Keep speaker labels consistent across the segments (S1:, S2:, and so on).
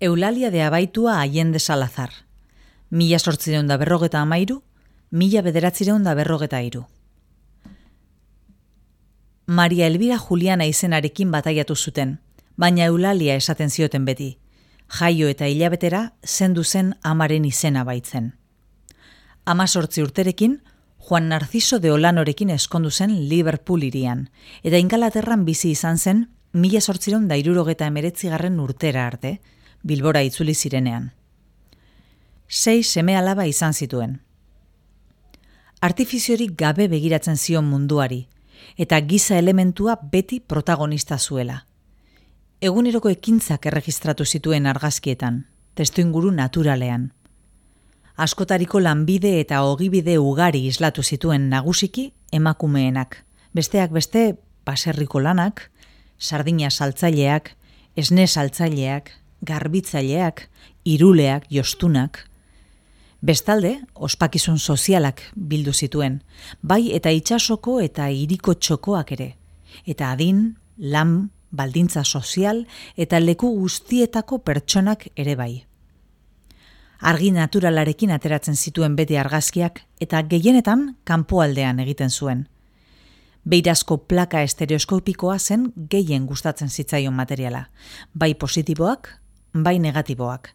S1: Eulalia de Abaitua Allende Salazar. 1853, 1953. Maria Elvira Juliana izenarekin bataiatu zuten, baina Eulalia esaten zioten beti. Jaio eta hilabetera zendu zen amaren izena baitzen. 18 urterekin, Juan Narciso de Olanorekin eskondu zen Liverpool hirian, eta Ingalaterran bizi izan zen 1879 urtera arte, Bilbora itzuli zirenean. 6 seme-alaba izan zituen. Artifiziorik gabe begiratzen zion munduari, eta giza elementua beti protagonista zuela. Eguneroko ekintzak erregistratu zituen argazkietan, testuinguru naturalean. Askotariko lanbide eta ogibide ugari islatu zituen nagusiki emakumeenak, besteak beste baserriko lanak, sardina saltzaileak, esne saltzaileak, garbitzaileak, iruleak, jostunak. Bestalde, ospakizun sozialak bildu zituen, bai eta itsasoko eta hiriko txokoak ere, eta adin, lan, baldintza sozial eta leku guztietako pertsonak ere bai. Argi naturalarekin ateratzen zituen beti argazkiak eta gehienetan kanpoaldean egiten zuen. Beirazko plaka estereoskopikoa zen gehien gustatzen zitzaion materiala, bai positiboak, bai negatiboak.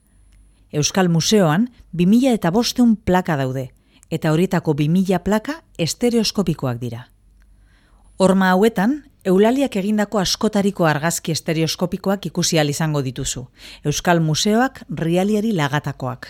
S1: Euskal Museoan 2500 plaka daude, eta horietako 2000 plaka estereoskopikoak dira. Horma hauetan, Eulaliak egindako askotariko argazki estereoskopikoak ikusi ahal izango dituzu, Euskal Museoak Rialiari lagatakoak.